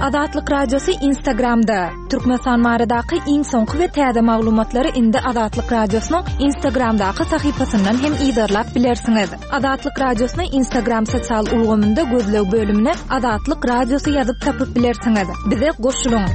Azatlyk Radiosy Instagramda. Türkmenistan baradaky iň soňky we täze maglumatlary indi Azatlyk Radiosynyň Instagramdaky sahypasyndan hem yzarlap bilersiňiz. Azatlyk Radiosyny Instagram sosial ulgamynda gözleg bölümine Azatlyk Radiosy ýazyp tapyp bilersiňiz. Bize goşulyň!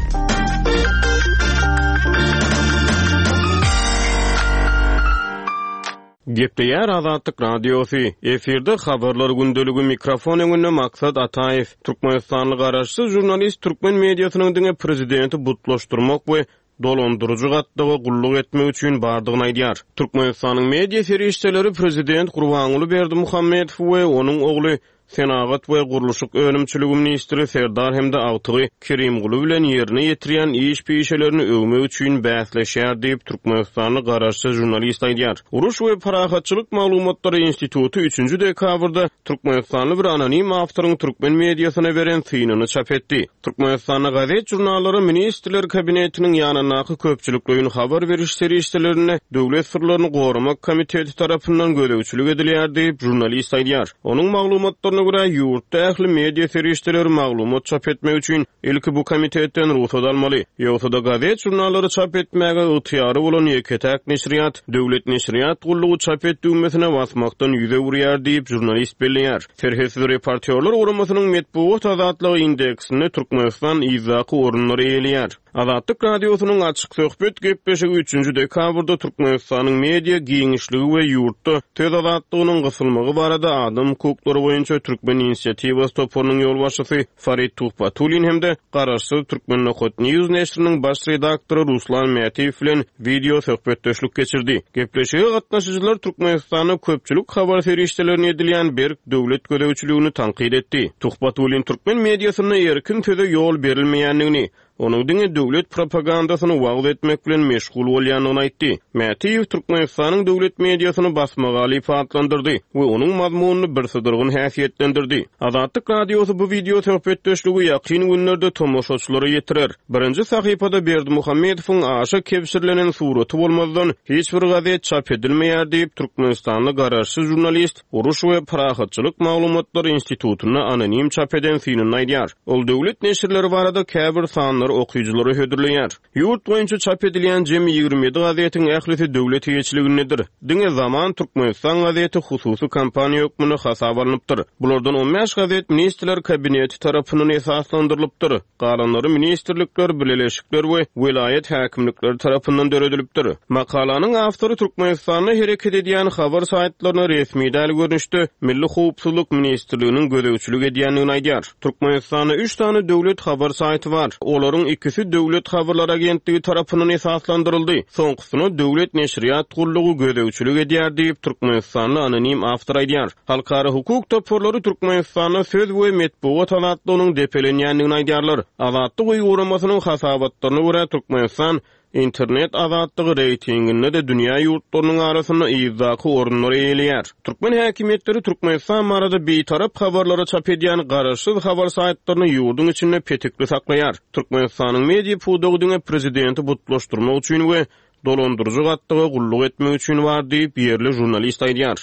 Gepleýär Azatlyk Radiosy, Efirde Habarlar gündeligi, mikrofon öňünde Maksat Ataýew. Türkmenistanly garaşsyz žurnalist türkmen mediasynyň diňe prezidenti butlaşdyrmak we dolandyryjy gatlaga gulluk etmek üçin bardygyny aýdýar. Türkmenistanyň media serişdeleri prezident Gurbanguly Berdimuhamedow we onuň ogly Senagat we gurluşyk önümçiligi ministri Serdar hem-de agtygy Kerimguly bilen ýerine ýetirýän iş pişelerini öwmek üçin bäsleşýär diýip, türkmenistanly garaşsyz žurnalist aýdýar. Uruş we parahatçylyk maglumatlary instituty üçünji dekabrda türkmenistanly bir anonim awtoryň türkmen mediasyna beren synyny çap etdi. Türkmenistanda gazet-žurnallara Ministrler Kabinetiniň ýanyndaky köpçülikleýin habar beriş serişdelerine Döwlet syrlaryny goramak komiteti tarapyndan gözegçilik edilýär diýip, žurnalist aýdýar. Onuň maglumatlaryna görä, ýurtda ähli media serişdeleri maglumat çap etmek üçin ilki bu komitetden rugsat almaly. Ýogsa-da gazet-žurnallary çap etmäge ygtyýary bolan ýeke-täk neşirýat, Döwlet neşirýat gullugy çap et düwmesine basmakdan ýüz öwürýär diýip, žurnalist belleýär. Serhetsiz reportýorlar guramasynyň metbugat azatlygy indeksinde Türkmenistan yzdaky orunlary eýeleýär. Azatlyk Radiosynyň Açyk söhbet gepleşigi üçünji dekabrda Türkmenistanyň media giňişligi we ýurtda söz azatlygynyň gysylmagy barada adam hukuklary boýunça Türkmen inisiatiwasy toparynyň ýolbaşçysy Farid Tuhbatullin hem-de garaşsyz Turkmen.news neşiriniň baş redaktory Ruslan Mätiýew bilen wideo söhbetdeşlik geçirdi. Gepleşige gatnaşyjylar Türkmenistanda köpçülik habar serişdelerine edilýän berk döwlet gözegçiligini tankyt etdi. Tuhbatullin türkmen mediasynda erkin söze ýol berilmeýändigini, onuň diňe döwlet propagandasyny wagyz etmek bilen meşgul bolýandygyny aýtdy. Mätiýew Türkmenistanyň döwlet mediasyny basmagalyp atlandyrdy we onuň mazmunyny birsydyrgyn häsiýetlendirdi. Azatlyk Radiosy bu wideo söhbetdeşligi ýakyn günlerde tomaşaçylara ýetirer. Birinji sahypada Berdimuhamedowyň aşa kebşirlenen suraty bolmazdan, hiç bir gazet çap edilmeýär diýip, türkmenistanly garaşsyz žurnalist, Uruş we parahatçylyk maglumatlary institutynda anonim çap eden synynda aýdýar. Ol döwlet neşirleri barada käbir sanlary okyjylara hödürleýär. Ýurt boýunça çap edilýän jemi 27 gazetiň ählisi döwlet eýeçiligindedir. Diňe Zaman Türkmenistan gazeti hususy kompaniýa hökmünde hasaba alnypdyr. Bulardan on bäş gazet Ministrler Kabineti tarapyndan esaslandyrylypdyr. Galanlary ministrlikler, bileleşikler we welaýat häkimlikleri tarapyndan döredilipdir. Makalanyň awtory Türkmenistanda hereket edýän habar saýtlaryna resmi däl görnüşde Milli howpsuzlyk ministrliginiň gözegçilik edýändigini aýdýar. Türkmenistanda üç sany döwlet habar saýty bar. Olaryň ikisi Döwlet habarlar agentligi tarapyndan esaslandyryldy, soňkusyna Döwlet neşirýat gullugy gözegçilik edýär diýip, türkmenistanly anonim awtor aýdýar. Halkara hukuk toparlary Türkmenistanda söz we metbugat azatlygynyň depelenýändigini aýdýarlar. Azatlyk öýi guramasynyň hasabatlaryna görä, Türkmenistan internet azatlygy reýtinginde-de dünýä ýurtlarynyň arasynda yzdaky orunlary eýeleýär. Türkmen häkimiýetleri Türkmenistan barada bitarap habarlary çap edýän garaşsyz habar saýtlaryny ýurduň içinde petikli saklaýar. Türkmenistanyň media pudagy diňe prezidenti butlaşdyrmak üçin we dolandyryjy gatlaga gulluk etmek üçin bar diýip, ýerli žurnalist aýdýar.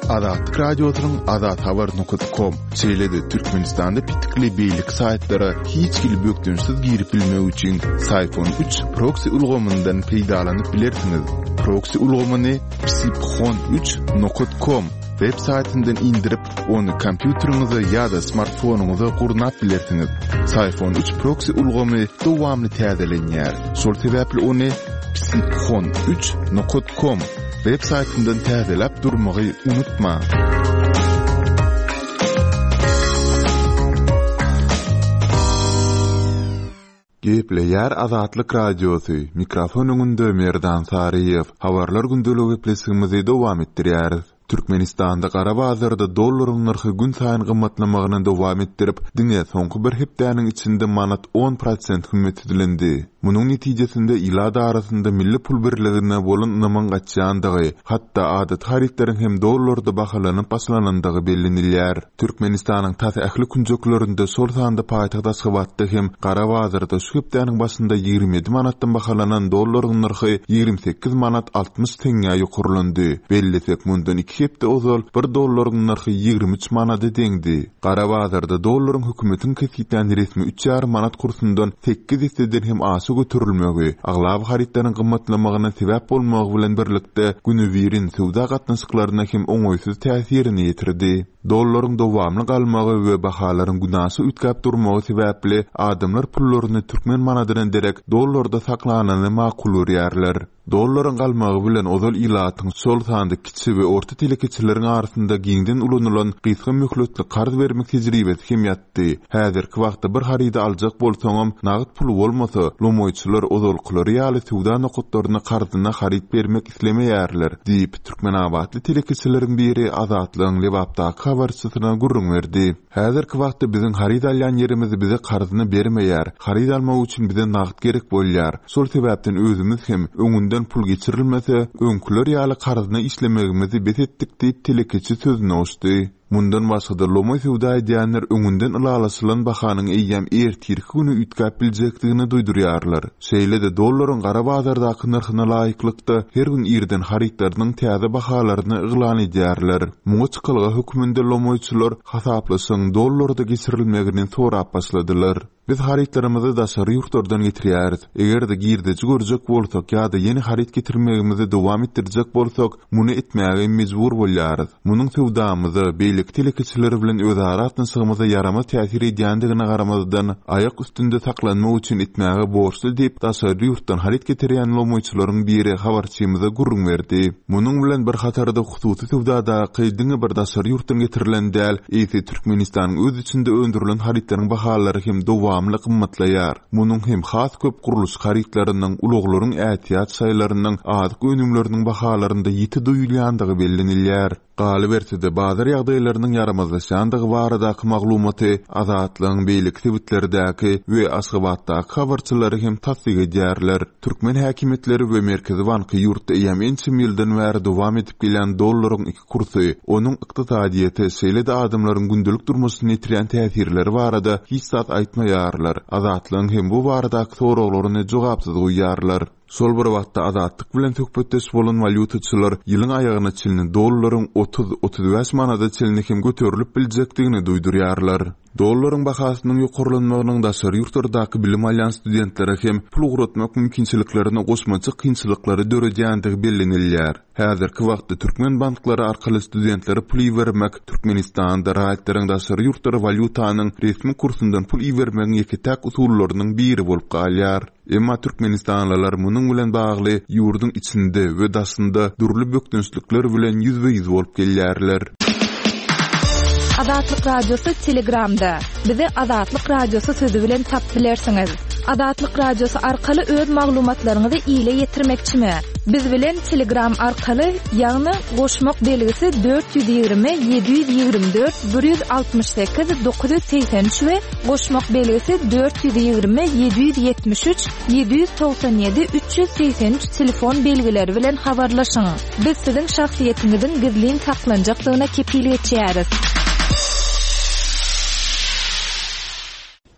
Azatlyk Radiosynyň azathabar nokat kom, şeýle-de Türkmenistanda petikli beýleki saýtlara hiç hili bökdençsiz girip bilmek üçin Syphon üç proksi ulgamyndan peýdalanyp bilersiňiz. Proksi ulgamyny psiphon üç nokat kom web saýtyndan indirip, Ony kompýuteriňize ýa-da smartfonyňyza gurnap bilersiňiz. Syphon üç proksi ulgamy dowamly täzelenýär. Şol sebäpli ony psiphon üç nokat kom web saýtyndan täzeläp durmagy unutmaň. Gepleýär Azatlyk Radiosy, mikrofon öňünde Merdan Saryýew. Habarlar gündelik gepleşigimizi dowam etdirýäris. Türkmenistanda gara bazarda dollaryň nyrhy günsaýyn gymmatlamagyny dowam etdirip, diňe soňky bir hepdäniň içinde manat on prosent hümmetsizlendi. Munuň netijesinde ilat arasynda milli pul birligine bolan ynamyň gaçýandygy, hatda adaty harytlaryň hem dollarda bahalanyp başlanandygy bellenilýär. Türkmenistanyň tas ähli künjeklerinde, şol sanda paýtagt Aşgabatda hem gara bazarda şu hepdäniň başynda 27 manatdan bahalanan dollaryň nyrhy 28 manat 60 teňňä ýokarlandy. Bellesek, mundan iki hepde ozal bir dollaryň nyrhy 23 manada deňdi. Gara bazarda dollaryň hökümetiň kesgitlän resmi üç ýarym manat kursundan sekiz esseden hem aşa göterilmegi, aglaba harytlaryň gymmatlamagyna sebäp bolmagy bilen birlikde, günübirin söwda gatnaşyklaryna hem oňaýsyz täsirini ýetirdi. Dollaryň dowamly galmagy we bahalaryň günaşa üýtgäp durmagy sebäpli adamlar pullaryny türkmen manadyna derek dollarda saklanyny makul görýärler. Dollaryň galmagy bilen ozal ilatyň, şol sanda kiçi we orta telekeçileriň arasynda giňden ulanylan gysga möhletli karz bermek tejribesi hem ýatdy. Häzirki wagtda bir harydy aljak bolsaňam, nagt puly bolmasa, lomaýçylar ozalkylary ýaly söwda nokatlaryna karzyna haryt bermek islemeýärler, diýip, türkmenabatly telekeçileriň biri Azatlygyň Lebapdaky habarçysyna gürrüň berdi. Häzirki wagtda biziň haryt alýan ýerimiz bize karzyna bermeýär. Haryt almak üçin bize nagt gerek bolýar. Şol sebäpden özümiz hem, öňünden pul geçirilmese, öňküler ýaly karzyna işlemegimizi bes etdik diýip, telekeçi sözüne goşdy. Mundan başga-da, lomaý söwda edýänler öňünden ylalaşylan bahanyň eýýäm ertirki güni üýtgäp biljekdigini duýdurýarlar. Şeýle-de, dollaryň gara bazardaky nyrhyna laýyklykda, her gün irden harytlarynyň täze bahalaryny yglan edýärler. Muňa çykalga hökmünde lomaýçylar hasaplaşygyň dollarda geçirilmegini sorap başladylar. Biz harytlarymyzy daşary ýurtlardan getirýäris. Eger-de girdeji görjek bolsak ýa-da ýene haryt getirmegimizi dowam etdirjek bolsak, muny etmäge mejbur bolýarys. Munuň söwdamyza, beýleki telekeçiler bilen özara gatnaşygymyza ýaramaz täsir edýändigine garamazdan, aýak üstünde saklanmak üçin etmäge borçly diýip, daşary ýurtdan haryt getirýän lomaýçylaryň biri habarçymyza gürrüň berdi. Munuň bilen bir hatarda hususy söwdadaky diňe bir daşary ýurtdan getirilen däl, eýse Türkmenistanyň öz içinde öndürilen harytlaryň bahalary hem dowamly gymmatlaýar. Munuň hem has köp gurluşyk harytlarynyň, ulaglaryň ätiýaç şaýlarynyň, azyk önümleriniň bahalarynda ýiti duýulýandygy bellenilýär. Galyberse-de, bazar ýagdaýlarynyň ýaramazlaşýandygy baradaky maglumaty Azatlygyň beýleki sebitlerdäki we Aşgabatdaky habarçylary hem tassyk edýärler. Türkmen häkimiýetleri we Merkezi banky ýurtda eýýäm ençeme ýyldan bäri dowam edip gelýän dollaryň iki kursy, onuň ykdysadyýete, şeýle-de adamlaryň gündelik durmuşyna ýetirýän täsirleri barada hiç zat aýtmaýarlar, Azatlygyň hem bu baradaky soraglaryny jogapsyz goýýarlar. Şol bir wagtda, Azatlyk bilen söhbetdeş bolan walýutaçylar ýylyň aýagyna çenli dollaryň 30, 35 manada çenli hem göterilip biljekdigini duýdurýarlar. Dollaryň bahasynyň ýokarlanmagynyň daşary ýurtlardaky bilim alýan studentlere hem pul ugratmak mümkinçiliklerine goşmaça kynçylyklary döredýändigi bellenilýär. Häzirki wagtda türkmen banklary arkaly studentlere pul ibermek Türkmenistanda raýatlaryň daşary ýurtlara walýutanyň resmi kursundan pul ibermegiň ýeke-täk usullarynyň biri bolup galýar. Emma türkmenistanlylar munuň bilen bagly ýurduň içinde we daşynda dürli bökdençlikler bilen ýüzbe-ýüz bolup gelýärler. Azatlyk Radiosy Telegramda. Bizi Azatlyk Radiosy sözi bilen tapyp bilersiňiz. Azatlyk Radiosy arkaly öz maglumatlaryňyzy ile ýetirmekçimi? Biz bilen Telegram arkaly, ýagny goşmak belgisi 420 724 168 983 we Goşmak belgisi 420 773 797 383 telefon belgileri bilen habarlaşyň. Biz siziň şahsyýetiňiziň gizlin saklanjakdygyna kepil geçýäris.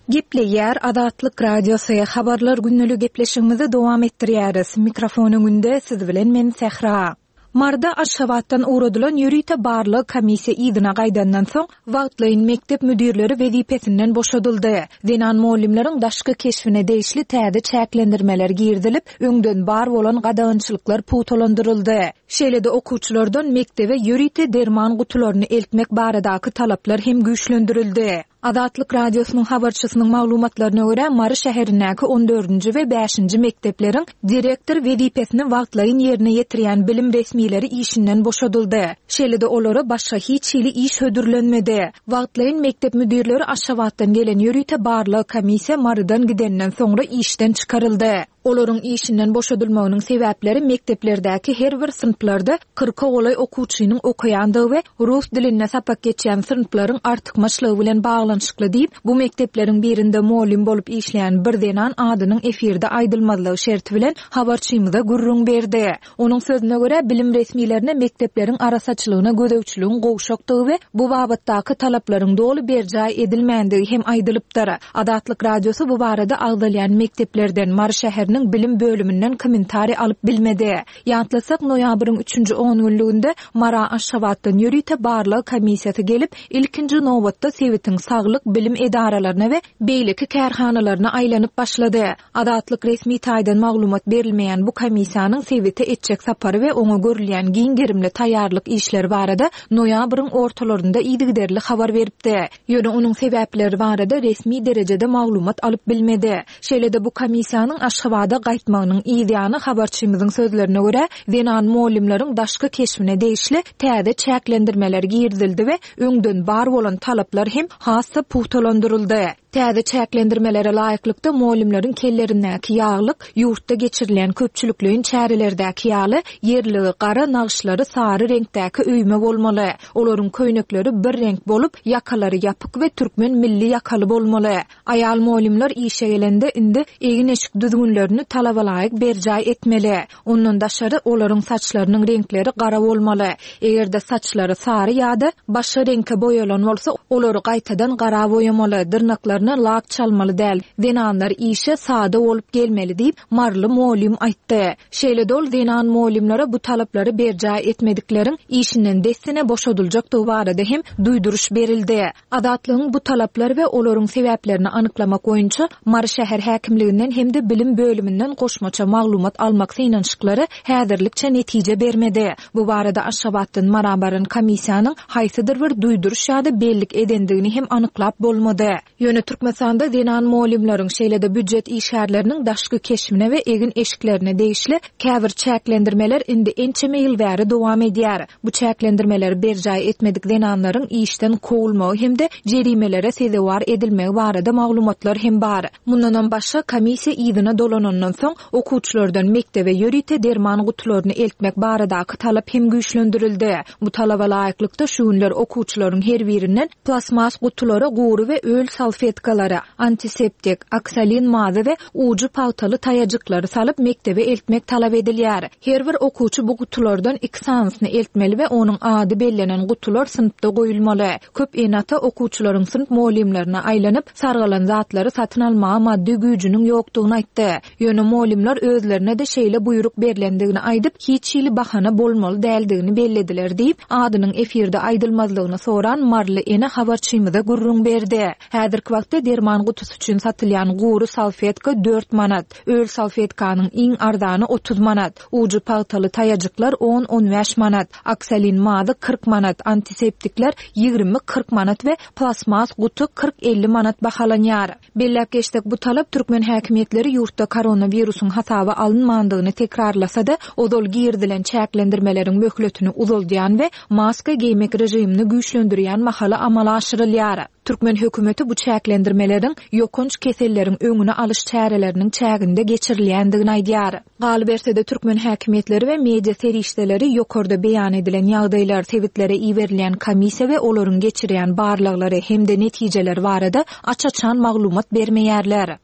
Gepleýär Azatlyk Radiosy, Habarlar gündelik gepleşigimizi dowam etdirýäris. Mikrofon öňünde siz bilen men Sähra. Maryda Aşgabatdan ugradylan ýörite barlag komissiýa yzyna gaýdandan soň, wagtlaýyn mekdep müdirleri wezipesinden boşadyldy. Zenan mugallymlaryň daşky keşbine degişli täze çäklendirmeler girizilip, öňden bar bolan gadagançylyklar pugtalandyryldy. Şeýle-de okuwçylardan mekdebe ýörite derman gutularyny eltmek baradaky talaplar hem güýçlendirildi. Azatlyk Radiosynyň habarçysynyň maglumatlaryna görä, Mary şäherindäki on dördünji we bäşinji mekdepleriň direktor wezipesini wagtlaýyn ýerine ýetirýän bilim resmileri işinden boşadyldy. Şeýle-de olara başga hiç hili iş hödürlenmedi. Wagtlaýyn mekdep müdirleri Aşgabatdan gelen ýörite barlag komissiýa Marydan gidenden soňra işden çykaryldy. Olaryň işinden boşadylmagynyň sebäpleri mekdeplerdäki her bir synplarda kyrka golaý okuwçynyň okaýandygy we rus dilinde sapak geçýän synplaryň artykmaçlygy bilen baglanyşykly diýip, bu mekdepleriň birinde mugallym bolup işleýän bir zenan adynyň efirde aýdylmazlygy şerti bilen habarçymyza gürrüň berdi. Onuň sözüne görä, bilim resmilerine mekdepleriň arassaçylygyna gözegçiligiň gowşakdygy we bu babatdaky talaplaryň doly berjaý edilmändigi hem aýdylypdyr. Azatlyk Radiosy bu barada agzalýan mekdeplerden, Mary şäheriniň bilim bölüminden kommentariý alyp bilmedi. Ýatlatsak, noýabryň üçünji ongünlüginde Mara Aşgabatdan ýörite barlag komissiýasy gelip, ilkinji nobatda sebitiň saglyk, bilim edaralaryna we beýleki kärhanalaryna aýlanyp başlady. Azatlyk resmi taýdan maglumat berilmeýän bu komissiýanyň sebite etjek sapary we oňa görülýän giň gerimli taýýarlyk işleri barada noýabryň ortalarynda yzygiderli habar beripdi. Ýöne onuň sebäpleri barada resmi derejede maglumat alyp bilmedi. Şeýle-de bu komissiýanyň Aşgabada gaýtmagynyň yz ýany habarçymyzyň sözlerine görä, zenan mugallymlaryň daşky keşbine degişli täze çäklendirmeler girizildi we öňden bar bolan talaplar hem has-da pugtalandyryldy. Täze çäklendirmelere laýyklykda, mugallymlaryň kellerindäki ýaglyk ýurtda geçirilýän köpçülikleýin çärelerdäki ýaly, ýerligi gara, nagyşlary sary reňkdäki öýme bolmaly. Olaryň köýnekleri bir reňk bolup, ýakalary ýapyk we türkmen milli ýakaly bolmaly. Aýal mugallymlar işe gelende indi egin-eşik düzgünlerini talabalaýyk berjaý etmeli. Ondan daşary, olaryň saçlarynyň reňkleri gara bolmaly. Eger-de saçlary sary ýa-da başga reňke boýalan bolsa, olary gaýtadan gara boýamaly, dyrnaklaryna lak çalmaly däl. Zenanlar işe sada bolup gelmeli diýip, maryly mugallym aýtdy. Şeýle-de ol zenan mugallymlara bu talaplary berjaý etmedikleriň işinden dessine boşadyljakdygy barada hem duýduryş berildi. Azatlygyň bu talaplary we olaryň sebäplerini anyklamak boýunça Mary şäher häkimliginden hem-de bilim bölüminden goşmaça maglumat almak synanyşyklary häzirlikçe netije bermedi. Bu barada Aşgabatdan Mara baran komissiýanyň haýsydyr bir duýduryş ýa-da bellik edendigini hem anyklap bolmady. Ýöne Türkmenistanda zenan mugallymlaryň, şeýle-de býujet işgärleriniň daşky keşbine we egin-eşiklerine degişli käbir çäklendirmeler indi ençeme ýyl bäri dowam edýär. Bu çäklendirmeleri berjaý etmedik zenanlaryň işden kowulmagy hem-de jerimelere sezewar edilmegi barada maglumatlar hem bar. Mundanam başga, komissiýa yzyna dolanandan soň, okuwçylardan mekdebe ýörite derman gutularyny eltmek baradaky talap hem güýçlendirildi. Bu talaba laýyklykda, şu günler okuwçylaryň her birinden Plastmas gutulara gury we öl salfetkalary, antiseptik, oksolin mazy we ujy pagtaly taýajyklary salyp mekdebe eltmek talap edilýär. Her bir okuwçy bu gutulardan iki sanysyny eltmeli we onuň ady bellenen gutular synpda goýulmaly. Köp ene-ata okuwçylaryň synp mugallymlaryna aýlanyp, sargalan zatlary satyn almaga maddy güýjüniň ýokdugyny aýtdy. Ýöne mugallymlar özlerine-de şeýle buýruk berlendigini aýdyp, hiç hili bahana bolmaly däldigini bellediler diýip, adynyň efirde aýdylmazlygyny soran maryly ene habarçymyza gürrüň berdi. Häzirki wagtda derman gutusy üçin satylýan gury salfetka dört manat, öl salfetkanyň iň arzany 30 manat, ujy pagtaly taýajyklar on-on bäş manat, oksolin mazy 40 manat, antiseptikler ýigrimi-kyrk manat we plastmas guty kyrk-elli manat bahalanýar. Belläp geçsek, bu talap türkmen häkimiýetleri ýurtda koronawirusyň hasaba alynmandygyny tekrarlasa-da, ozal girizilen çäklendirmeleriň möhletini uzaldýan we maska geýmek režimini güýçlendirýän mahaly amala aşyrylýar. Türkmen hökümeti bu çäklendirmeleriň ýokanç keselleriň öňüni alyş çäreleriniň çäginde geçirilýändigini aýdýar. Galyberse-de, türkmen häkimiýetleri we media serişdeleri ýokarda beýan edilen ýagdaýlar, sebitlere iberilýän komissiýa we olaryň geçirýän barlaglary hem-de netijeleri barada aç-açan maglumat bermeýärler.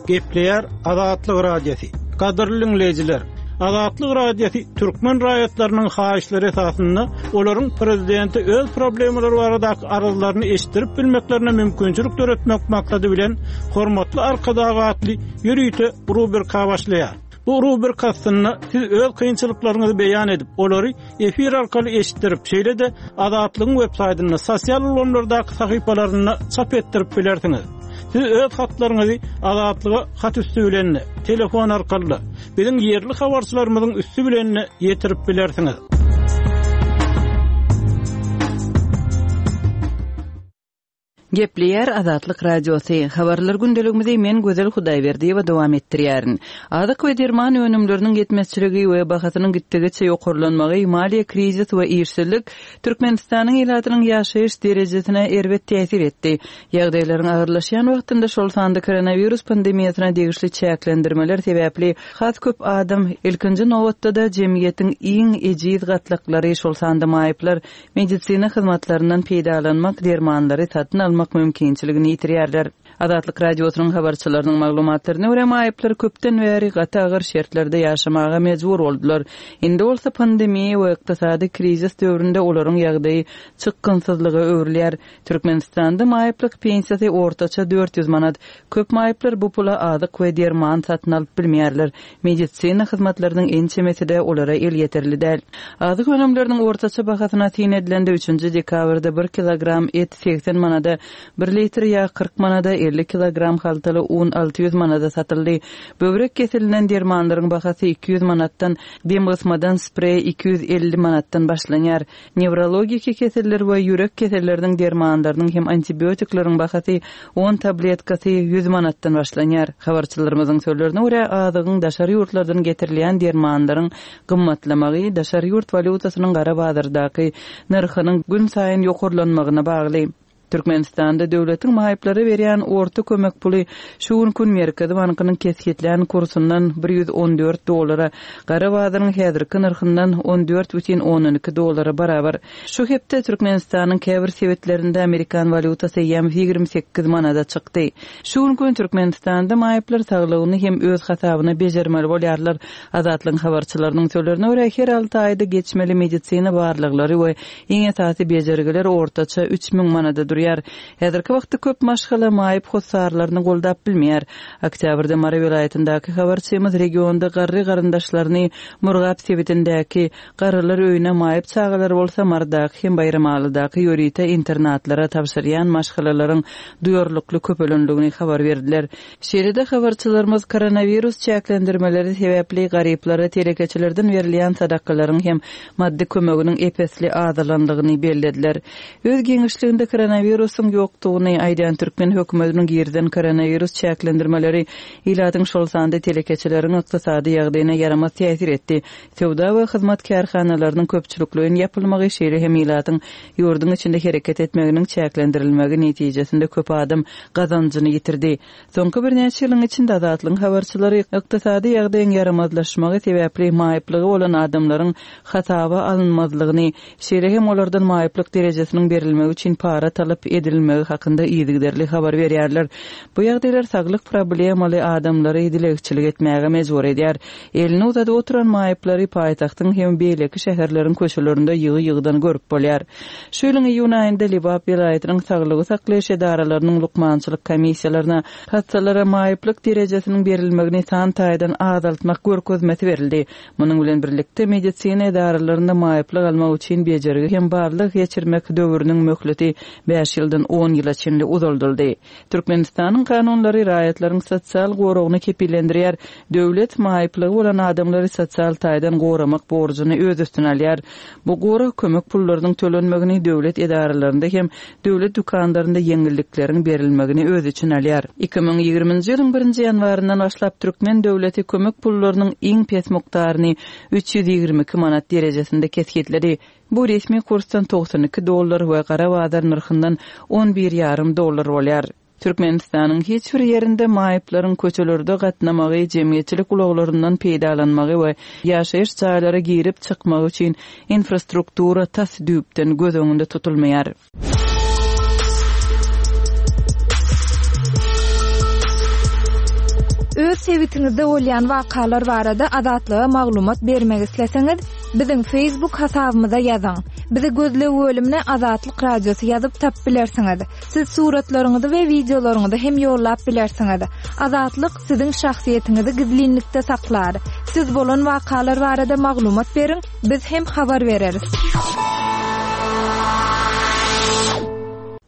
Gepleýär Azatlyk Radiosy. Gadyrly diňleýjiler! Azatlyk Radiosy türkmen raýatlarynyň haýyşlary esasynda olaryň prezidente öz problemalary baradaky arzlaryny eşitdirip bilmeklerine mümkinçilik döretmek maksady bilen Hormatly Arkadag atly ýörite rubrika başlaýar. Bu rubrika astynda siz öz kynçylyklaryňyzy beýan edip, olary efir arkaly eşitdirip, şeýle-de Azatlygyň web saýtynda, sosial ulgamlardaky sahypalarynda çap etdirip bilersiňiz. Siz öz hatlaryňyzy Azatlyga hat üsti bilen-de, telefon arkaly-da, biziň ýerli habarçylarymyzyň üsti bilen-de ýetirip bilersiňiz. Gepleýär Azatlyk Radiosy, Habarlar gündeligimizi men Gözel Hudaýberdiýewa dowam etdirýärin. Azyk we derman önümleriniň ýetmezçiligi we bahasynyň gitdigiçe ýokarlanmagy, maliýe krizis we işsizlik Türkmenistanyň ilatynyň ýaşaýyş derejesine erbet täsir etdi. Ýagdaýlaryň agyrlaşýan wagtynda, şol sanda koronawirus pandemiýasyna degişli çäklendirmeler sebäpli has köp adam, ilkinji nobatda-da, jemgyýetiň iň ejiz gatlaklary, şol sanda maýyplar medisina hyzmatlaryndan peýdalanmak, dermanlary satyn almak mümkinçiligini ýitirýärler. Azatlyk Radiosynyň habarçylarynyň maglumatlaryna görä, maýyplar köpden bäri gaty agyr şertlerde ýaşamaga mejbur boldular. Indi bolsa pandemiýa we ykdysady krizis döwründe olaryň ýagdaýy çykgynsyzlyga öwrülýär. Türkmenistanda maýyplyk pensiýasy ortaça 400 manat. Köp maýyplar bu pula azyk we derman satyn alyp bilmeýärler. Medisina hyzmatlarynyň ençemesi-de olara elýeterli däl. Azyk önümleriniň ortaça bahasyna syn edilende, üçünji dekabrda bir kilogram et 80 manada, bir litr ýag 40 manada, 50 kilogram haltaly un 600 manada satyldy. Böwrek keselinden dermanlaryň bahasy 200 manatdan, demgysmadan spreý 250 manatdan başlanýar. Newrologiki keseller we ýürek keselleriniň dermanlarynyň hem antibiotikleriň bahasy on tabletkasy ýüz manatdan başlanýar. Habarçylarymyzyň sözlerine görä, azygyň daşary ýurtlardan getirilýän dermanlaryň gymmatlamagy daşary ýurt walýutasynyň gara bazardaky nyrhynyň günsaýyn ýokarlanmagyna bagly. Türkmenistanda döwletiň maýyplara berýän orta kömek puly şu günki gün Merkezi bankynyň kesgitlän kursundan 114 dollara, gara bazaryň häzirki nyrhyndan 14,2 dollara barabar. Şu hepde Türkmenistanyň käbir sebitlerinde amerikan walýutasy eýýäm 28 manada çykdy. Şu günki gün Türkmenistanda maýyplar saglygyny hem öz hasabyna bejermeli bolýarlar. Azatlygyň habarçylarynyň sözlerine görä, her alty aýda geçmeli medisina barlaglary we Iň esasy bejergiler ortaça 3000 manada durýar. Häzirki wagtda köp maşgala maýyp hossarlaryny goldap bilmeýär. Oktýabrda Mary welaýatyndaky habarçymyz regionda garry garyndaşlaryny Murgap sebitindäki garrylar öýüne, maýyp çagalary bolsa Marydaky hem Baýramalydaky ýörite internatlara tabşyrýan maşgalalaryň duýarlykly köpelendigini habar berdiler. Şeýle-de habarçylarymyz koronawirus çäklendirmeleri sebäpli garyplara telekeçilerden berilýän sadakalaryň hem maddy kömeginiň ep-esli azalandygyny bellediler. Öz giňişliginde koronawirusyň ýokdugyny aýdýan türkmen hökümetiniň girizen koronawirus çäklendirmeleri ilatyň şol sanda telekeçileriň ykdysady ýagdaýyna ýaramaz täsir etdi. Söwda we hyzmat kärhanalarynyň köpçülikleýin ýapylmagy, şeýle hem ilatyň ýurduň içinde hereket etmeginiň çäklendirilmegi netijesinde köp adam gazanjyny ýitirdi. Soňky birnäçe ýylyň içinde Azatlygyň habarçylary ykdysady ýagdaýyň ýaramazlaşmagy sebäpli maýyplygy bolan adamlaryň hasaba alynmazlygyny, şeýle hem olardan maýyplyk derejesiniň berilmegi üçin para talap edilmegi hakynda yzygiderli habar berýärler. Bu ýagdaýlar saglyk problemaly adamlary dilegçilik etmäge mejbur edýär. Elini uzadyp oturan maýyplary paýtagtyň hem beýleki şäherleriň köçelerinde ýygy-ýygydan görüp bolýar. Şu ýylyň iýun aýynda Lebap welaýatynyň saglygy saklaýyş edaralarynyň lukmançylyk komissiýalaryna hassalara maýyplyk derejesiniň berilmegini san taýdan azaltmak görkezmesi berildi. Munuň bilen birlikde, medisina edaralarynda maýyplyk almak üçin bejergi hem barlag geçirmek döwrüniň möhleti bäş ýyldan on ýyla çenli uzaldyldy. Türkmenistanyň kanunlary raýatlaryň sosial goragyny kepillendirýär. Döwlet maýyplygy bolan adamlary sosial taýdan goramak borjuny öz üstüne alýar. Bu gorag kömek pullarynyň tölenmegini, döwlet edaralarynda hem döwlet dükanlarynda ýeňillikleriň berilmegini öz içine alýar. 2020-nji ýylyň birinji ýanwaryndan başlap türkmen döwleti kömek pullarynyň iň pes mukdaryny 322 manat derejesinde kesgitledi. Bu resmi kursdan 92 dollar we gara bazar nyrhyndan on bir ýarym dollar bolýar. Türkmenistanyň hiç bir ýerinde maýyplaryň köçelerde gatnamagy, jemgyýetçilik ulaglaryndan peýdalanmagy we ýaşaýyş jaýlara girip-çykmagy üçin infrastruktura tas düýpden göz öňünde tutulmaýar. Öz sebitiňizde bolýan wakalar barada Azatlyga maglumat bermek isleseňiz, biziň Facebook hasabymyza ýazyň. Bizi gözleg bölümine Azatlyk Radiosy ýazyp tapyp bilersiňiz. Siz suratlaryňyzy we wideolaryňyzy hem ýollap bilersiňiz. Azatlyk siziň şahsyýetiňizi gizlinlikde saklar. Siz bolan wakalar barada maglumat beriň, biz hem habar bereris.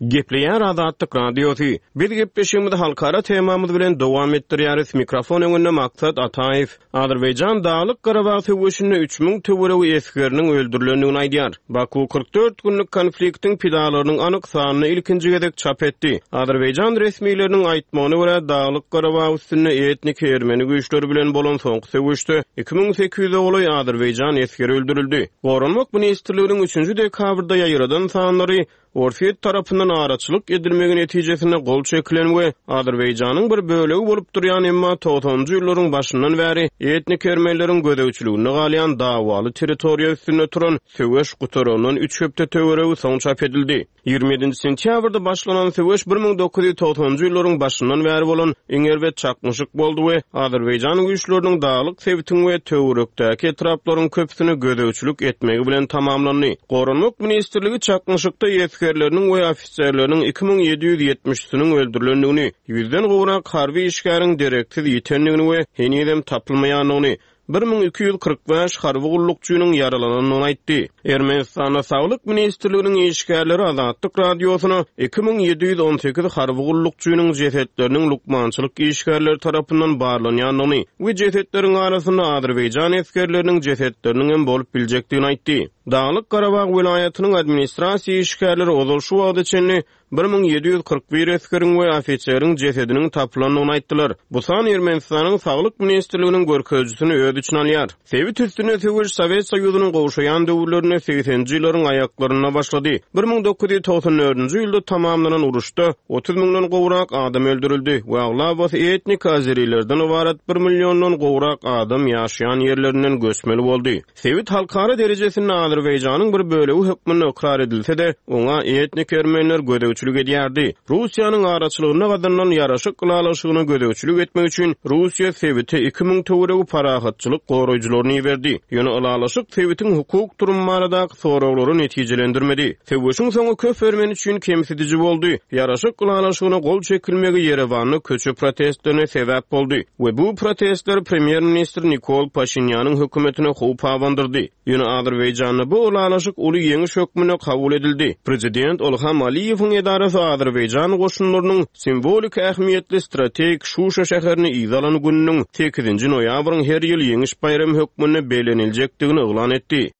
Gepleýär Azatlyk Radiosy. Biz gepleşigimizi halkara temamyz bilen dowam etdirýäris. Mikrofon öňünde Maksat Ataýew. Azerbaýjan Daglyk-Garabag söweşinde 3000 töweregi esgeriniň öldürilendigini aýdýar. Baku 44 günlük konfliktiň pidalarynyň anyk sanyny ilkinji gezek çap etdi. Azerbaýjan resmileriniň aýtmagyna görä, Daglyk-Garabag üstünde etniki ermeni güýçleri bilen bolan soňky söweşde 2800-e golaý azerbaýjan esgeri öldürildi. Goranmak ministrliginiň üçünji dekabrda ýaýradan sanlary Orsýet tarapyndan araçylyk edilmegi netijesinde gol çekilen we Azerbaýjanyň bir bölegi bolup durýan, emma togsanynjy ýyllaryň başyndan bäri etnik ermenileriň gözegçiliginde galýan dawaly territoriýa üstünde turan söweş gutarandan üç hepde töweregi soň çap edildi. 27-nji sentýabrda başlanan söweş 1990-njy ýyllaryň başyndan bäri bolan iň erbet çaknyşyk boldy we azerbaýjan güýçleriniň daglyk sebitiň we töwerekdäki etraplaryň köpüsine gözegçilik etmegi bilen tamamlandy. Goranmak ministrligi çaknyşykda esgerleriniň we ofiserleriniň 2770-siniň öldürilendigini, ýüzden gowrak harby işgäriň dereksiz ýitendigini we henizem tapylmaýandygyny, 1245 harby gullukçynyň ýaralanandygyny aýtdy. Ermenistanda Saglyk ministrliginiň işgärleri Azatlyk Radiosyna 2718 harby gullukçynyň jesetleriniň lukmançylyk işgärleri tarapyndan barlanýandygyny we jesetleriň arasynda azerbaýjan esgerleriniň jesetleriniň hem bolup biljekdigini aýtdy. Daglyk-Garabag welaýatynyň administrasiýa işgärleri ozal şu wagta çenli 1741 esgeriň we ofiseriň jesediniň tapylandygyny aýtdylar. Bu san Ermenistanyň Saglyk ministrliginiň görkezijisini öz içine alýar. Sebit üstünde söweş Sowet Soýuzynyň gowşaýan döwürlerinde segseninji ýyllaryň aýaklarynda başlady. 1994-nji ýylda tamamlanan uruşda 30 müňden gowrak adam öldürildi we aglabasy etnik azerilerden ybarat bir milliondan gowrak adam ýaşaýan ýerlerinden göçmeli boldy. Sebit halkara derejesinde Azerbaýjanyň bir bölegi hökmünde ykrar edilse-de, oňa etnik ermeniler gözegçilik edýärdi. Russiýanyň araçylygynda gazanylan ýaraşyk ylalaşygyna gözegçilik etmek üçin Russiýa sebite 2000 töweregi parahatçylyk goraýjylaryny iberdi. Ýöne ylalaşyk sebitiň hukuk durumy baradaky soraglary netijelendirmedi. Söweşiň soňy köp ermeni üçin kemsidiji boldy. Ýaraşyk ylalaşygyna gol çekilmegi Ýerewanda köçe protestlerine sebäp boldy we bu protestler premýer-ministr Nikol Paşinýanyň hökümetine howp abandyrdy. Ýöne Azerbaýjanda bu ylalaşyk uly ýeňiş hökmünde kabul edildi. Prezident Ilham Aliýewiň edarasy azerbaýjan goşunlarynyň simwolik ähmiýetli strategik Şuşa şäherini yza alan gününiň sekizinji noýabryň her ýyl Ýeňiş baýramy hökmünde belleniljekdigini yglan etdi.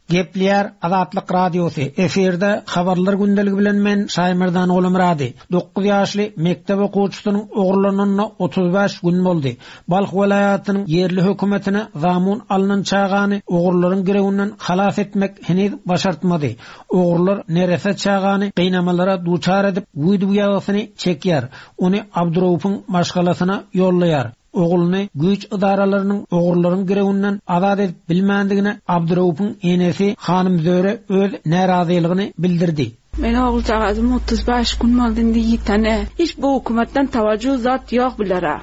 Gepleýär Azatlyk Radiosy, efirde Habarlar gündeligi bilen men Şaýmerdan Gulumyrady. Dokuz ýaşly mekdep okuwçysynyň ogurlananyna 35 gün boldy. Balh welaýatynyň ýerli hökümetine zamun alnan çagany ogurlaryň girewinden halas etmek heniz başartmady. Ogrular neresse çagany gynamalara duçar edip, wideo ýazgysyny çekýär. Ony Abduraupyň maşgalasyna ýollaýar. Ogluny güýç ydaralarynyň ogurlaryň girewinden azat edip bilmändigine Abdyraupyň enesi Hanym Zöre öz närazylygyny bildirdi. Meniň oguljagazym 35 gün boldy indi ýitene. Hiç bu hökümetden tawajju zat ýok bulara.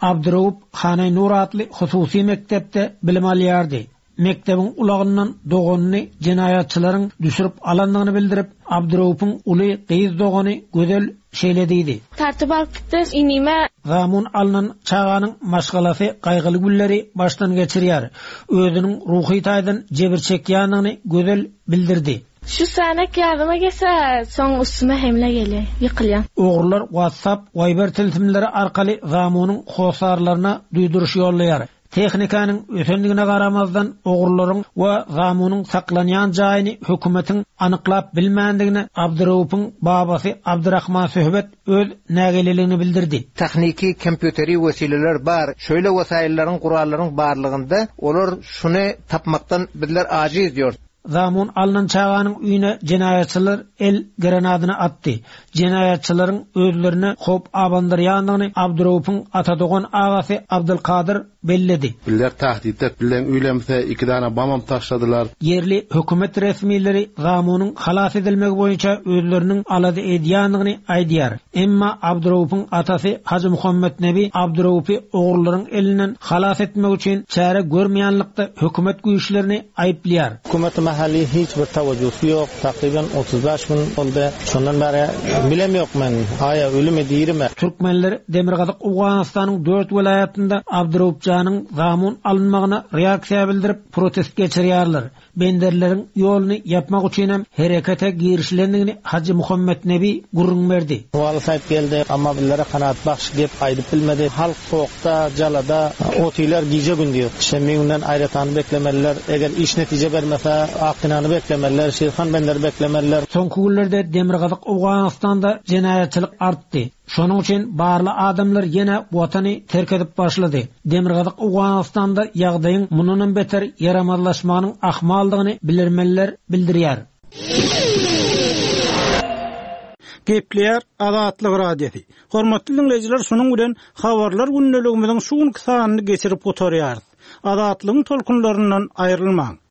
Abdyraup Hanaý Nur atly hususy mekdepde bilim alýardy. Mekdebiň ulagyndan doganyny jenaýatçylaryň düşürip alandygyny bildirip, Abdyraupyň uly gyz dogany Gözel şeýle diýdi. Tartyp alyp gitdi inime. Zamun alnan çaganyň maşgalasy gaýgyly günleri başdan geçirýär. Özüniň ruhy taýdan jebir çekýändigini Gözel bildirdi. Şu sänek ýadyma gelse, soň üstüme hemle gelýär, ýykylýan. Ogrular WhatsApp, Viber tilsimleri arkaly zamunyň hossarlaryna duýduryş ýollaýar. Tehnikanyň ösendigine garamazdan, ogrularyň we zamunyň saklanýan jaýyny hökümetiň anyklap bilmändigine Abdyraupyň babasy Abdyrahman Söhbet öz nägileligini bildirdi. Tehniki, kompýuteri wesileler bar. Şeýle wesaýyllaryň, gurallaryň barlygynda olar şuny tapmakdan bizler ajiz diýor. Zamun alnan çaganyň öýüne jenaýatçylar el granadyny atdy. Jenaýatçylaryň özlerine howp abandyrýandygyny Abdyraupyň atadogan agasy Abdylkadyr belledi. Bizler tahdit et bilen öýlemse iki dana bamam taşladylar. Ýerli hökümet resmileri zamunyň halas edilmegi boýunça özleriniň alada edýändigini aýdýar. Emma Abdyraupyň atasy Hajy Muhammetnebi Abdyraupy ogrullaryň elinden halas etmek üçin çäre görmeýänlikde hökümet güýçlerini aýyplaýar. Hökümeti. mahaly hiç bir tawajjusy ýok. Takryban 35 gün boldy. Şondan bäri bilem ýok men, aýa ölümi, dirimi. Türkmenler demirgazyk Owganystanyň dört welaýatynda Abduraupjanyň zamun alynmagyna reaksiýa bildirip, protest geçirýärler. Benderleriň ýoluny ýapmak üçinem herekete girişilendigini Hajy Muhammetnebi gürrüň berdi. Waly saýyp geldi, amma bizlere kanagatbahş gep aýdyp bilmedi. Halk sowukda, jalada otylar gije-gündiz. Şenbe günden Aýratany beklemeliler. Eger iş netije bermese, Akgynany beklemeliler, Şirhan benderi beklemeliler. Soňky günlerde demirgazyk Owganystanda jenaýatçylyk artdy. Şonuň üçin barly adamlar ýene watany terk edip başlady. Demirgazyk Owganystanda ýagdaýyň mundanam beter ýaramazlaşmagynyň ahmaldygyny bilermenler bildirýär. Gepleýär Azatlyk Radiosy. Hormatly diňleýjiler şunuň bilen Habarlar gündeligimiziň şu günki sanyny geçirip gutarýarys. Azatlygyň tolkunlaryndan aýrylmaň.